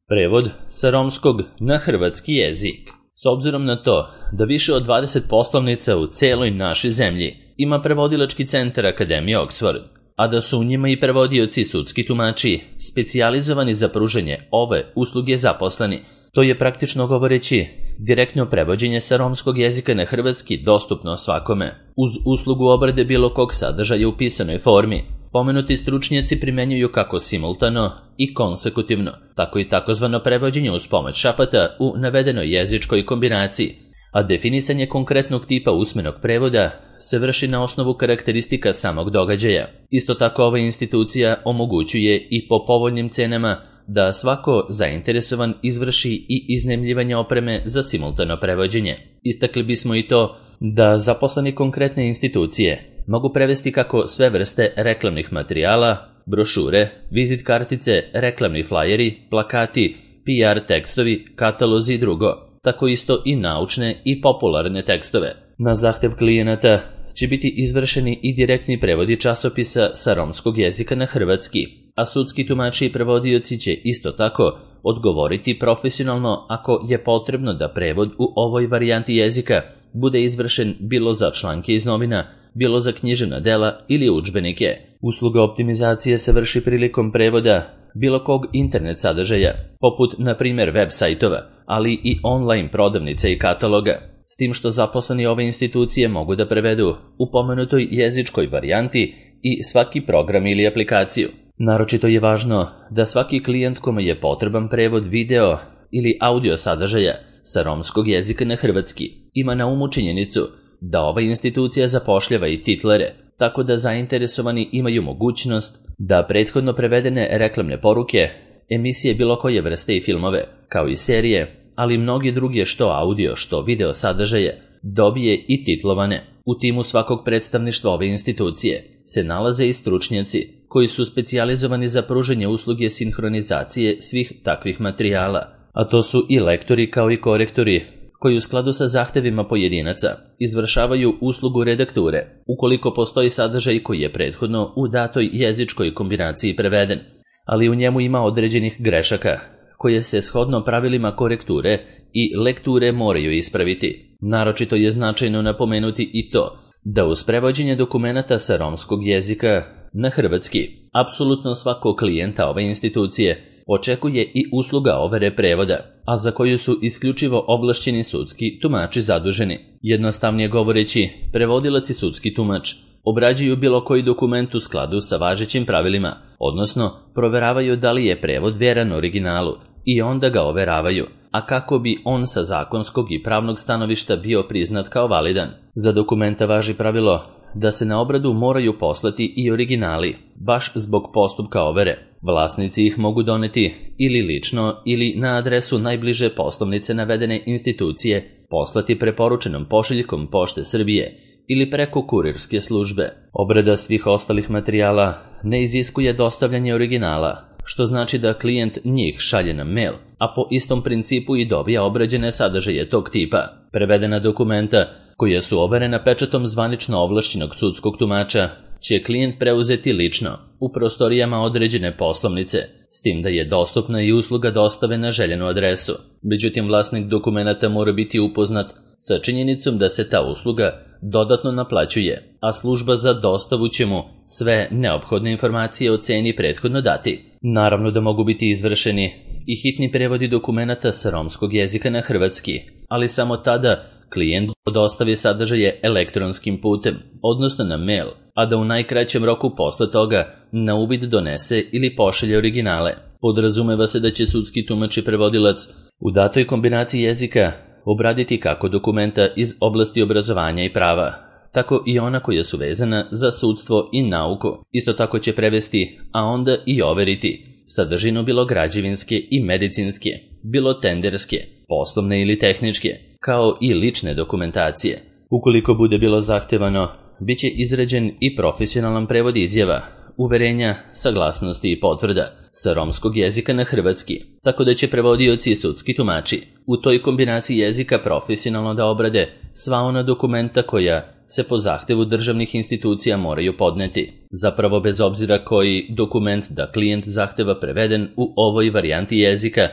Prevod sa romskog na hrvatski jezik. S obzirom na to da više od 20 poslovnica u celoj našoj zemlji ima prevodilački centar Akademije Oxford, a da su u njima i prevodioci sudski tumači specijalizovani za pružanje ove usluge zaposleni, to je praktično govoreći direktno prevođenje sa romskog jezika na hrvatski dostupno svakome, uz uslugu obrade bilo kog sadržaja u pisanoj formi. Pomenuti stručnjaci primenjuju kako simultano i konsekutivno, tako i takozvano prevođenje uz pomoć šapata u navedenoj jezičkoj kombinaciji, a definisanje konkretnog tipa usmenog prevoda se vrši na osnovu karakteristika samog događaja. Isto tako ova institucija omogućuje i po povoljnim cenama da svako zainteresovan izvrši i iznajmljivanje opreme za simultano prevođenje. Istakli bismo i to da zaposleni konkretne institucije mogu prevesti kako sve vrste reklamnih materijala, brošure, vizit kartice, reklamni flajeri, plakati, PR tekstovi, katalozi i drugo, tako isto i naučne i popularne tekstove. Na zahtev klijenata će biti izvršeni i direktni prevodi časopisa sa romskog jezika na hrvatski, a sudski tumači i prevodioci će isto tako odgovoriti profesionalno ako je potrebno da prevod u ovoj varijanti jezika bude izvršen bilo za članke iz novina, bilo za književna dela ili udžbenike. Usluga optimizacije se vrši prilikom prevoda bilo kog internet sadržaja, poput na primjer web sajtova, ali i online prodavnica i kataloga, s tim što zaposleni ove institucije mogu da prevedu u pomenutoj jezičkoj varijanti i svaki program ili aplikaciju. Naročito je važno da svaki klijent kome je potreban prevod video ili audio sadržaja sa romskog jezika na hrvatski ima na umu činjenicu da ova institucija zapošljava i titlere, tako da zainteresovani imaju mogućnost da prethodno prevedene reklamne poruke, emisije bilo koje vrste i filmove, kao i serije, ali i mnogi drugi što audio, što video sadržaje, dobije i titlovane. U timu svakog predstavništva ove institucije se nalaze i stručnjaci koji su specijalizovani za pružanje usluge sinhronizacije svih takvih materijala, a to su i lektori kao i korektori koji u skladu sa zahtevima pojedinaca izvršavaju uslugu redakture ukoliko postoji sadržaj koji je prethodno u datoj jezičkoj kombinaciji preveden, ali u njemu ima određenih grešaka koje se shodno pravilima korekture i lekture moraju ispraviti. Naročito je značajno napomenuti i to da uz prevođenje dokumenata sa romskog jezika na hrvatski apsolutno svakog klijenta ove institucije očekuje i usluga overe prevoda, a za koju su isključivo ovlašćeni sudski tumači zaduženi. Jednostavnije govoreći, prevodilac i sudski tumač obrađuju bilo koji dokument u skladu sa važećim pravilima, odnosno proveravaju da li je prevod vjeran originalu i onda ga overavaju, a kako bi on sa zakonskog i pravnog stanovišta bio priznat kao validan. Za dokumenta važi pravilo da se na obradu moraju poslati i originali, baš zbog postupka overe. Vlasnici ih mogu doneti ili lično ili na adresu najbliže poslovnice navedene institucije, poslati preporučenom pošiljkom Pošte Srbije ili preko kurirske službe. Obrada svih ostalih materijala ne iziskuje dostavljanje originala, što znači da klijent njih šalje na mail, a po istom principu i dobija obrađene sadržaje tog tipa. Prevedena dokumenta koja su overena pečatom zvanično ovlašćenog sudskog tumača će klijent preuzeti lično u prostorijama određene poslovnice, s tim da je dostupna i usluga dostave na željenu adresu. Međutim, vlasnik dokumenata mora biti upoznat sa činjenicom da se ta usluga dodatno naplaćuje, a služba za dostavu će mu sve neophodne informacije o ceni prethodno dati. Naravno da mogu biti izvršeni i hitni prevodi dokumenata sa romskog jezika na hrvatski, ali samo tada klijent dostavi sadržaje elektronskim putem, odnosno na mail, a da u najkraćem roku posle toga na uvid donese ili pošalje originale. Podrazumeva se da će sudski tumač i prevodilac u datoj kombinaciji jezika obraditi kako dokumenta iz oblasti obrazovanja i prava, tako i ona koja su vezana za sudstvo i nauku. Isto tako će prevesti, a onda i overiti sadržinu bilo građevinske i medicinske, bilo tenderske, poslovne ili tehničke, kao i lične dokumentacije. Ukoliko bude bilo zahtevano, bit će izrađen i profesionalan prevod izjava, uverenja, saglasnosti i potvrda sa romskog jezika na hrvatski, tako da će prevodioci i sudski tumači u toj kombinaciji jezika profesionalno da obrade sva ona dokumenta koja se po zahtevu državnih institucija moraju podneti. Zapravo, bez obzira koji dokument da klijent zahteva preveden u ovoj varijanti jezika,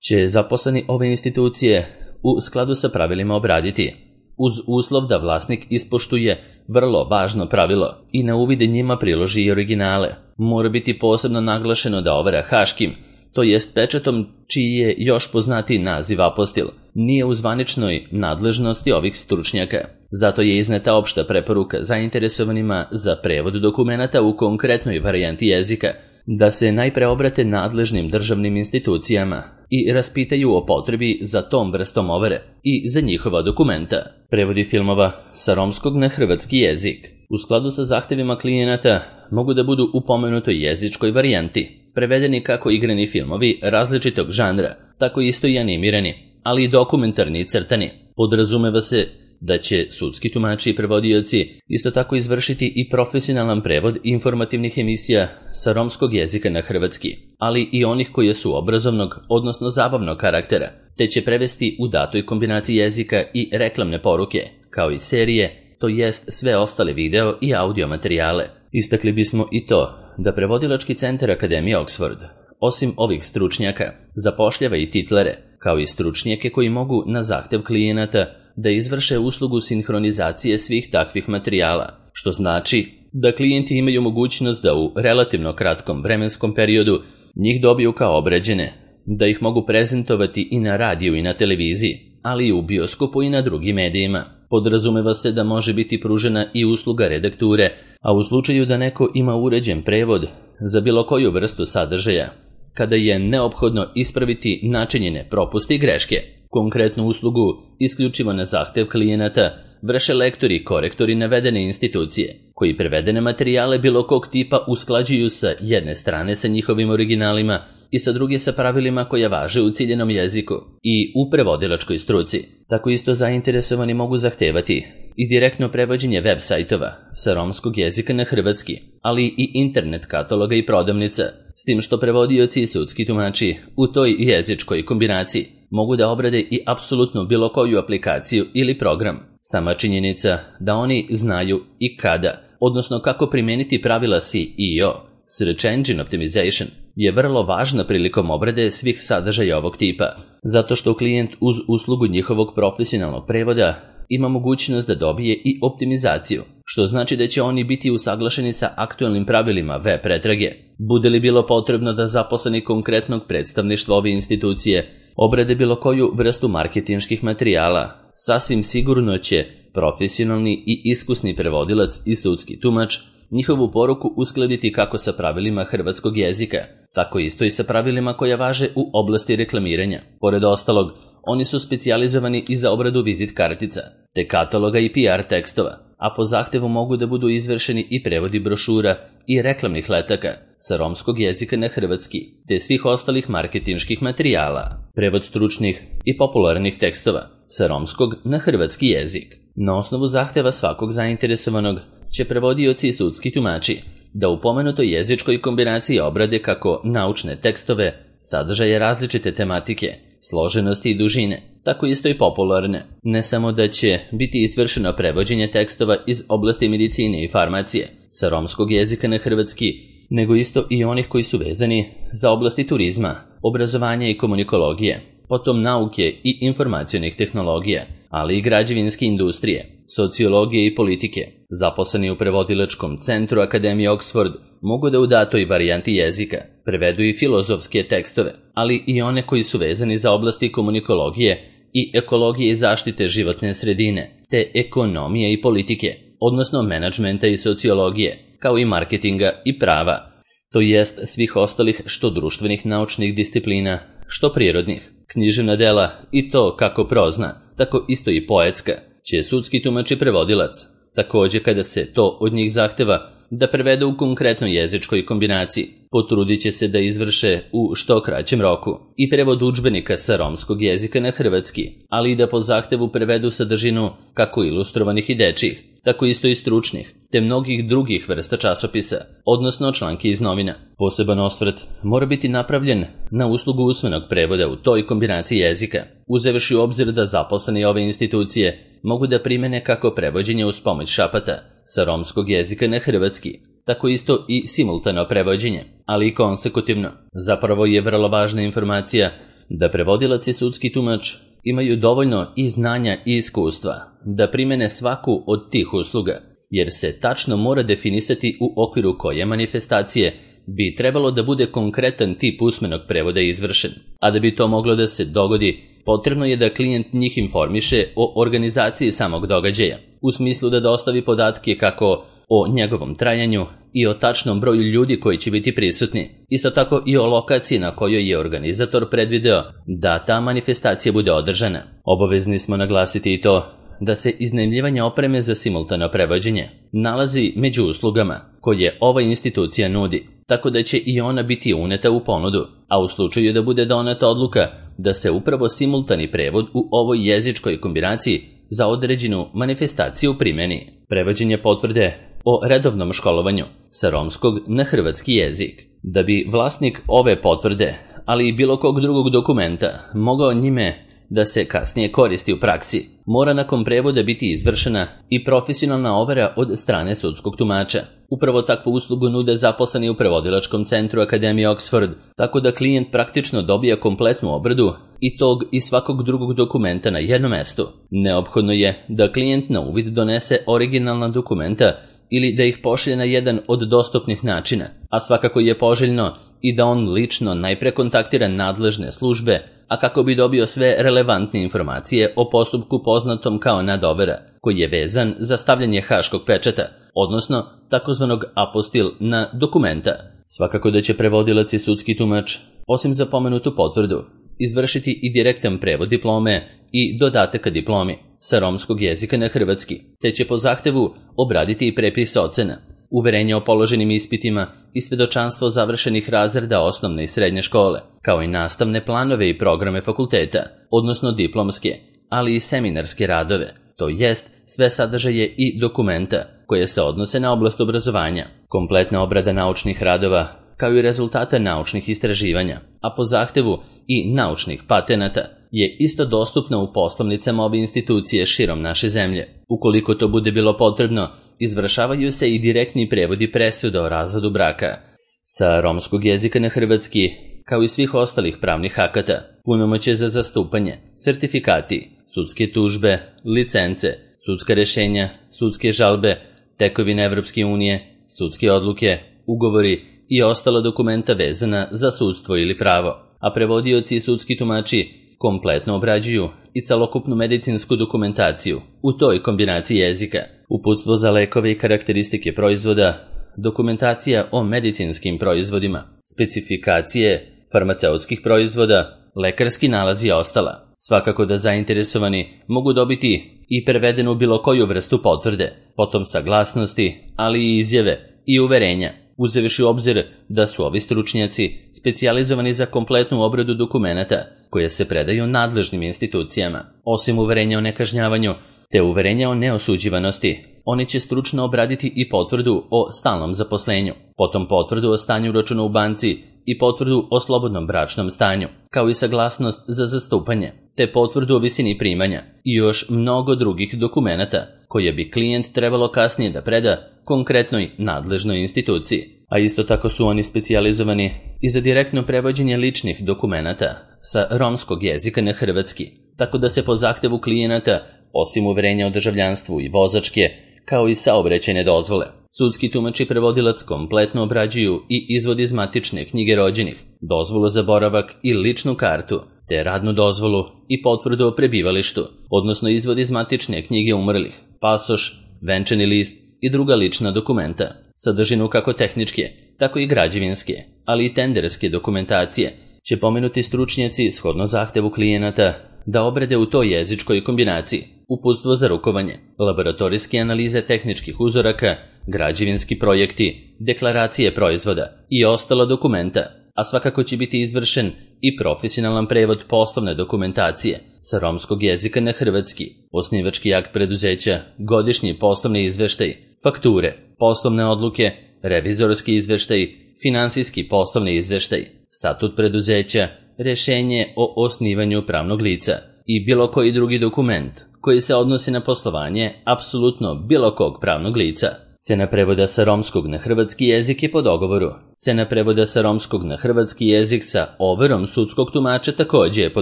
će zaposleni ove institucije u skladu sa pravilima obraditi, uz uslov da vlasnik ispoštuje vrlo važno pravilo i na uvid njima priloži i originale. Mora biti posebno naglašeno da overa haškim, to jest pečatom čiji je još poznatiji naziv apostil, nije u zvaničnoj nadležnosti ovih stručnjaka. Zato je izneta opšta preporuka zainteresovanima za prevod dokumenata u konkretnoj varijanti jezika, da se najpre obrate nadležnim državnim institucijama i raspitaju o potrebi za tom vrstom overe i za njihova dokumenta. Prevodi filmova sa romskog na hrvatski jezik u skladu sa zahtevima klijenata mogu da budu u pomenutoj jezičkoj varijanti, prevedeni kako igrani filmovi različitog žanra, tako isto i animirani, ali i dokumentarni i crtani. Podrazumeva se da će sudski tumači i prevodioci isto tako izvršiti i profesionalan prevod informativnih emisija sa romskog jezika na hrvatski, ali i onih koje su obrazovnog, odnosno zabavnog karaktera, te će prevesti u datoj kombinaciji jezika i reklamne poruke, kao i serije, to jest sve ostale video i audio materijale. Istakli bismo i to da prevodilački centar Akademije Oxford, osim ovih stručnjaka, zapošljava i titlere, kao i stručnjake koji mogu na zahtev klijenata da izvrše uslugu sinhronizacije svih takvih materijala, što znači da klijenti imaju mogućnost da u relativno kratkom vremenskom periodu njih dobiju kao obrađene, da ih mogu prezentovati i na radiju i na televiziji, ali i u bioskopu i na drugim medijima. Podrazumeva se da može biti pružena i usluga redakture, a u slučaju da neko ima uređen prevod za bilo koju vrstu sadržaja, kada je neophodno ispraviti načinjene propuste i greške. Konkretnu uslugu, isključivo na zahtev klijenata, vrše lektori i korektori navedene institucije, koji prevedene materijale bilo kog tipa usklađuju sa jedne strane sa njihovim originalima i sa druge sa pravilima koja važe u ciljenom jeziku i u prevodilačkoj struci. Tako isto zainteresovani mogu zahtevati i direktno prevođenje web sajtova sa romskog jezika na hrvatski, ali i internet kataloga i prodavnica, s tim što prevodioci i sudski tumači u toj jezičkoj kombinaciji mogu da obrade i apsolutno bilo koju aplikaciju ili program. Sama činjenica da oni znaju i kada, odnosno kako primeniti pravila SEO, Search Engine Optimization, je vrlo važna prilikom obrade svih sadržaja ovog tipa, zato što klijent uz uslugu njihovog profesionalnog prevoda ima mogućnost da dobije i optimizaciju, što znači da će oni biti usaglašeni sa aktualnim pravilima web pretrage. Bude li bilo potrebno da zaposleni konkretnog predstavništva ove institucije obrade bilo koju vrstu marketinških materijala, sasvim sigurno će profesionalni i iskusni prevodilac i sudski tumač njihovu poruku uskladiti kako sa pravilima hrvatskog jezika, tako isto i sa pravilima koja važe u oblasti reklamiranja. Pored ostalog, oni su specijalizovani i za obradu vizit kartica, te kataloga i PR tekstova, a po zahtevu mogu da budu izvršeni i prevodi brošura i reklamnih letaka sa romskog jezika na hrvatski, te svih ostalih marketinških materijala, prevod stručnih i popularnih tekstova sa romskog na hrvatski jezik. Na osnovu zahteva svakog zainteresovanog će prevodioci i sudski tumači da u pomenutoj jezičkoj kombinaciji obrade kako naučne tekstove, sadržaje različite tematike, složenosti i dužine, tako isto i popularne. Ne samo da će biti izvršeno prevođenje tekstova iz oblasti medicine i farmacije sa romskog jezika na hrvatski, nego isto i onih koji su vezani za oblasti turizma, obrazovanja i komunikologije, potom nauke i informacionih tehnologija, ali i građevinske industrije, sociologije i politike. Zaposleni u prevodilačkom centru Akademije Oxford mogu da u datoj varijanti jezika prevedu i filozofske tekstove, ali i one koji su vezani za oblasti komunikologije i ekologije i zaštite životne sredine, te ekonomije i politike, odnosno menadžmenta i sociologije, kao i marketinga i prava, to jest svih ostalih što društvenih naučnih disciplina, što prirodnih. Književna dela i to kako prozna, tako isto i poetska, će sudski tumač i prevodilac, također kada se to od njih zahteva, da prevede u konkretnoj jezičkoj kombinaciji. Potrudit će se da izvrše u što kraćem roku i prevod udžbenika sa romskog jezika na hrvatski, ali i da po zahtevu prevedu sadržinu kako ilustrovanih i dečjih, tako isto i stručnih, te mnogih drugih vrsta časopisa, odnosno članke iz novina. Poseban osvrt mora biti napravljen na uslugu usmenog prevoda u toj kombinaciji jezika, uzevši u obzir da zaposleni ove institucije mogu da primene kako prevođenje uz pomoć šapata sa romskog jezika na hrvatski, tako isto i simultano prevođenje, ali i konsekutivno. Zapravo je vrlo važna informacija da prevodilac i sudski tumač imaju dovoljno i znanja i iskustva da primene svaku od tih usluga, jer se tačno mora definisati u okviru koje manifestacije bi trebalo da bude konkretan tip usmenog prevoda izvršen. A da bi to moglo da se dogodi, potrebno je da klijent njih informiše o organizaciji samog događaja, u smislu da dostavi podatke kako o njegovom trajanju i o tačnom broju ljudi koji će biti prisutni. Isto tako i o lokaciji na kojoj je organizator predvideo da ta manifestacija bude održana. Obavezni smo naglasiti i to da se iznajmljivanje opreme za simultano prevođenje nalazi među uslugama koje ova institucija nudi, tako da će i ona biti uneta u ponudu, a u slučaju da bude doneta odluka da se upravo simultani prevod u ovoj jezičkoj kombinaciji za određenu manifestaciju primeni. Prevođenje potvrde o redovnom školovanju sa romskog na hrvatski jezik. Da bi vlasnik ove potvrde, ali i bilo kog drugog dokumenta, mogao njime da se kasnije koristi u praksi, mora nakon prevoda biti izvršena i profesionalna overa od strane sudskog tumača. Upravo takvu uslugu nude zaposleni u prevodilačkom centru Akademije Oxford, tako da klijent praktično dobija kompletnu obradu i tog i svakog drugog dokumenta na jednom mestu. Neophodno je da klijent na uvid donese originalna dokumenta ili da ih pošalje na jedan od dostupnih načina, a svakako je poželjno i da on lično najpre kontaktira nadležne službe, a kako bi dobio sve relevantne informacije o postupku poznatom kao nadovera, koji je vezan za stavljanje haškog pečata, odnosno takozvanog apostil na dokumenta. Svakako da će prevodilac i sudski tumač, osim za pomenutu potvrdu, izvršiti i direktan prevod diplome i dodataka diplomi sa romskog jezika na hrvatski, te će po zahtevu obraditi i prepis ocena, uverenje o položenim ispitima i svedočanstvo završenih razreda osnovne i srednje škole, kao i nastavne planove i programe fakulteta, odnosno diplomske, ali i seminarske radove, to jest sve sadržaje i dokumenta koje se odnose na oblast obrazovanja, kompletna obrada naučnih radova, kao i rezultate naučnih istraživanja, a po zahtevu i naučnih patenata, je isto dostupna u poslovnicama ove institucije širom naše zemlje. Ukoliko to bude bilo potrebno, izvršavaju se i direktni prevodi presuda o razvodu braka sa romskog jezika na hrvatski, kao i svih ostalih pravnih akata, punomoćje za zastupanje, sertifikati, sudske tužbe, licence, sudska rešenja, sudske žalbe, tekovine Evropske unije, sudske odluke, ugovori i ostala dokumenta vezana za sudstvo ili pravo, a prevodioci i sudski tumači kompletno obrađuju i celokupnu medicinsku dokumentaciju u toj kombinaciji jezika, uputstvo za lekove i karakteristike proizvoda, dokumentacija o medicinskim proizvodima, specifikacije farmaceutskih proizvoda, lekarski nalazi i ostala. Svakako da zainteresovani mogu dobiti i prevedenu bilo koju vrstu potvrde, potom saglasnosti, ali i izjave i uverenja, uzevši u obzir da su ovi stručnjaci specijalizovani za kompletnu obradu dokumenata koje se predaju nadležnim institucijama. Osim uverenja o nekažnjavanju te uverenja o neosuđivanosti, oni će stručno obraditi i potvrdu o stalnom zaposlenju, potom potvrdu o stanju računa u banci i potvrdu o slobodnom bračnom stanju, kao i saglasnost za zastupanje, te potvrdu o visini primanja i još mnogo drugih dokumenata koje bi klijent trebalo kasnije da preda konkretnoj nadležnoj instituciji. A isto tako su oni specijalizovani i za direktno prevođenje ličnih dokumenata sa romskog jezika na hrvatski, tako da se po zahtevu klijenata, osim uverenja o državljanstvu i vozačke, kao i saobraćajne dozvole, sudski tumač i prevodilac kompletno obrađuju i izvod iz matične knjige rođenih, dozvolu za boravak i ličnu kartu, te radnu dozvolu i potvrdu o prebivalištu, odnosno izvod iz matične knjige umrlih, pasoš, venčani list i druga lična dokumenta, sadržinu kako tehničke, tako i građevinske, ali i tenderske dokumentacije, će pomenuti stručnjaci shodno zahtevu klijenata da obrade u toj jezičkoj kombinaciji, uputstvo za rukovanje, laboratorijske analize tehničkih uzoraka, građevinski projekti, deklaracije proizvoda i ostala dokumenta, a svakako će biti izvršen i profesionalan prevod poslovne dokumentacije sa romskog jezika na hrvatski, osnivački akt preduzeća, godišnji poslovni izveštaj, fakture, poslovne odluke, revizorski izveštaj, finansijski poslovni izveštaj, statut preduzeća, rešenje o osnivanju pravnog lica i bilo koji drugi dokument koji se odnosi na poslovanje apsolutno bilo kog pravnog lica. Cena prevoda sa romskog na hrvatski jezik je po dogovoru Cena prevoda sa romskog na hrvatski jezik sa overom sudskog tumača takođe je po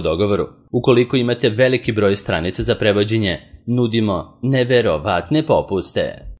dogovoru. Ukoliko imate veliki broj stranica za prevođenje, nudimo neverovatne popuste.